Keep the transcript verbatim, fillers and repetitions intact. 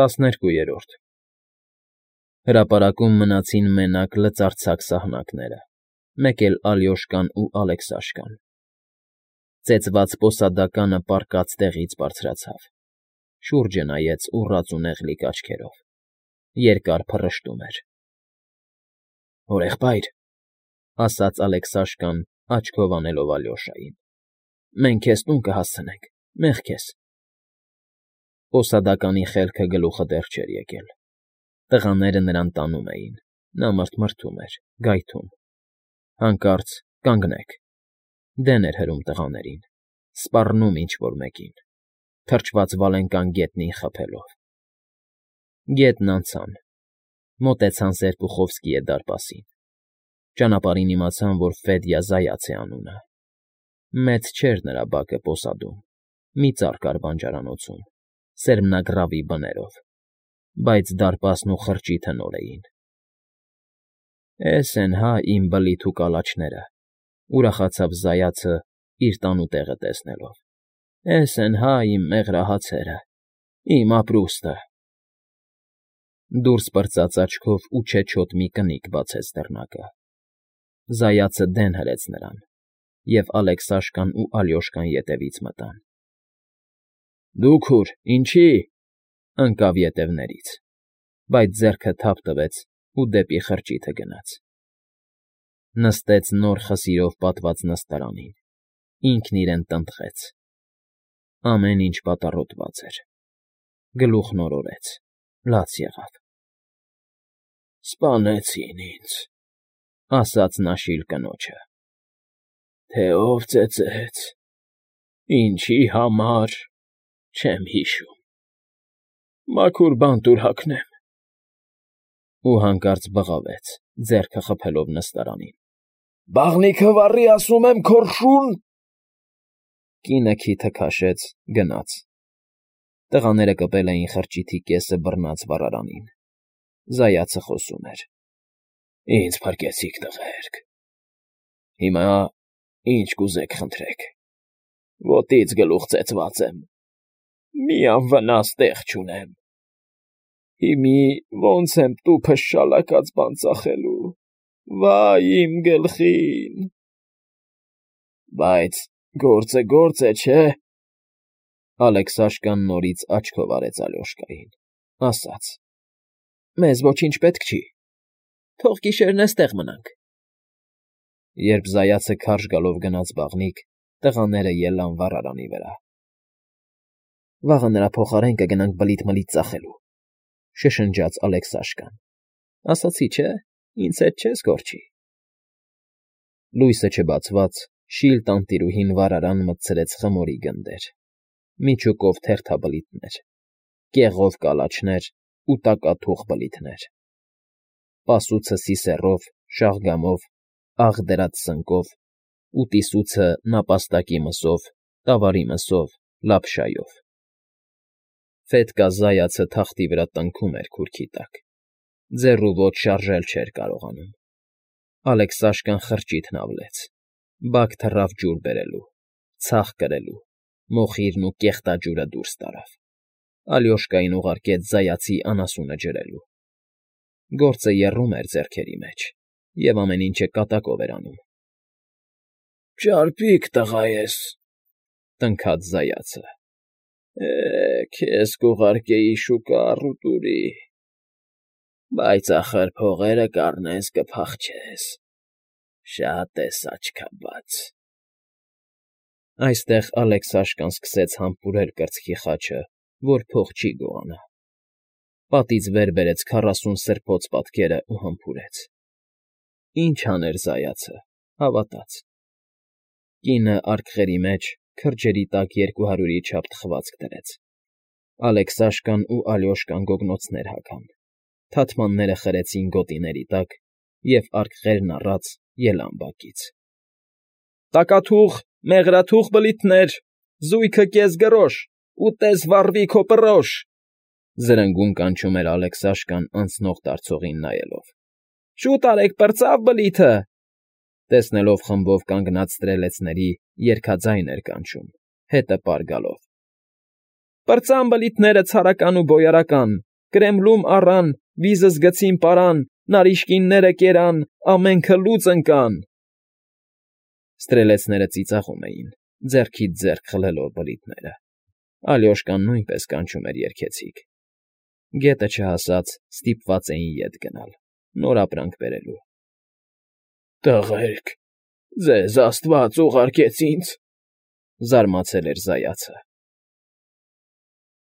ՏԱՍՆԵՐԿՈՒԵՐՈՐԴ Հրապարակում մնացին մենակ լծարձակ սահնակները, մեկ էլ Ալյոշկան ու Ալեքսաշկան. ծեծված պոսադականը պառկած տեղից բարձրացավ, շուրջը նայեց ուռած ու նեղլիկ աչքերով, երկար փռշտում էր։ ֊ Հորեղբայր,֊ ասաց Ալեքսաշկան, աչքով անելով Ալյոշային,֊ մենք քեզ տուն կհասցնենք, մեղք ես… Պոսադականի խելքը գլուխը դեռ չէր եկել, տղաները նրան տանում էին, նա մռթմռթում էր, գայթում… Հանկարծ կանգնեք… դեն էր հրում տղաներին, սպառնում ինչ֊որ մեկին, թրջված վալենկան գետնին խփելով… Գետն անցան, մոտեցան Սերպուխովսկիի դարպասին, ճանապարհին իմացան, որ Ֆեդյա Զայաց է անունը… Մեծ չէր նրա բակը պոսադում, մի ծառ կար բանջարանոցում, սերմնագռավի բներով, բայց դարպասն ու խրճիթը նոր էին։ ֊ Էս են հա իմ բլիթ ու կալաչները,֊ ուրախացավ Զայացը իր տանուտեղը տեսնելով,֊ էս են հա իմ մեղրահացերը, իմ ապրուստը… Դուրս պրծած աչքով ու չեչոտ մի կնիկ բացեց դռնակը։ Զայացը դեն հրեց նրան, և Ալեքսաշկան ու Ալյոշկան ետևից մտան։ ֊ Դուք ուր, ինչի՞…֊ ընկավ ետևներից, բայց ձեռքը թափ տվեց ու դեպի խրճիթը գնաց… Նստեց նոր խսիրով պատված նստարանին, ինքն իրեն տնտղեց… Ամեն ինչ պատառոտված էր, գլուխն օրորեց, լաց եղավ… Սպանեցին ինձ,֊ ասաց նա շիլ կնոջը, թե ով ծեծեց, ինչի համար, չեմ հիշում… Մաքուր բան տուր հագնեմ… Ու հանկարծ բղավեց, ձեռքը խփելով նստարանին,֊ Բաղնիքը վառի, ասում եմ, քորշուն… Կինը քիթը քաշեց, գնաց… Տղաները կպել էին խրճիթի կեսը բռնած վառարանին… Զայացը խոսում էր,֊ Ինձ փրկեցիք, տղերք… Հիմա ինչ կուզեք խնդրեք… Ոտից գլուխ ծեծված եմ, մի անվնաս տեղ չունեմ… Հիմի ոնց եմ տուփս շալակած բան ծախելու… Վա՜յ իմ գլխին… Բայց գործը գործ է, չէ՞… Ալեքսաշկան նորից աչքով արեց Ալյոշկային, ասաց. Մեզ ոչինչ պետք չի, թող գիշերն էստեղ մնանք… Երբ Զայացը քարշ գալով գնաց բաղնիք, տղաները ելան վառարանի վրա։ ֊ Վաղը նրա փոխարեն կգնանք բլիթ֊մլիթ ծախելու,֊ շշնջաց Ալեքսաշկան,֊ ասացի չէ, ինձ հետ չես կորչի… Լույսը չբացված, շիլ տանտիրուհին վառարան մտցրեց խմորի գնդեր, միջուկով թերթաբլիթներ, կեղով կալաչներ ու տակաթուխ բլիթներ, պասուցը սիսեռով, շաղգամով, աղ դրած սնկով, ուտիսուցը նապաստակի մսով, տավարի մսով, լապշայով… Ֆետկա Զայացը թախտի վրա տնքում էր քուրքի տակ, ձեռ ու ոտ շարժել չէր կարողանում… Ալեքսաշկան խրճիթն ավլեց, բակ թռավ ջուր բերելու, ցախ կրելու, մոխիրն ու կեղտաջուրը դուրս տարավ, Ալյոշկային ուղարկեց Զայացի անասունը ջրելու… Գործը եռում էր ձեռքերի մեջ, և ամեն ինչը կատակով էր անում։ ֊ Ճարպիկ տղա ես,֊ տնքաց Զայացը,֊ է, քեզ կուղարկեի շուկա առուտուրի, բայց ախր փողերը կառնես կփախչես… Շատ ես աչքաբաց… Այստեղ Ալեքսաշկան սկսեց համբուրել կրծքի խաչը, որ փող չի գողանա… Պատից վեր բերեց քառասուն սրբոց պատկերն ու համբուրեց… Ինչ աներ Զայացը, հավատաց… Կինը արկղերի մեջ, քրջերի տակ երկու հարյուրի չափ թխվածք դրեց… Ալեքսաշկան ու Ալյոշկան գոգնոցներ հագան, թաթմանները խրեցին գոտիների տակ և արկղերն առած ելան բակից։ ֊ Տակաթուխ, մեղրաթուխ բլիթներ, զույգը կես գրոշ, ուտես վառվի քո պռոշ,֊ զրնգուն կանչում էր Ալեքսաշկան անցնող֊դարձողին նայելով։ ֊ Շուտ արեք, պրծավ բլիթը… Տեսնելով խմբով կանգնած ստրելեցների՝ երգաձայն էր կանչում, հետը պար գալով։ Պրծան բլիթները ցարական ու բոյարական, Կրեմլում առան, վիզս գցին պարան, Նարիշկինները կերան, ամենքը լուծ ընկան… Ստրելեցները ծիծաղում էին, ձեռքից ձեռք խլելով բլիթները, Ալյոշկան նույնպես կանչում էր երգեցիկ. գետը չհասած ստիպված էին ետ գնալ, նոր ապրանք բերելու։ ֊ Տղերք, ձեզ աստված ուղարկեց ինձ,֊ զարմացել էր զայացը։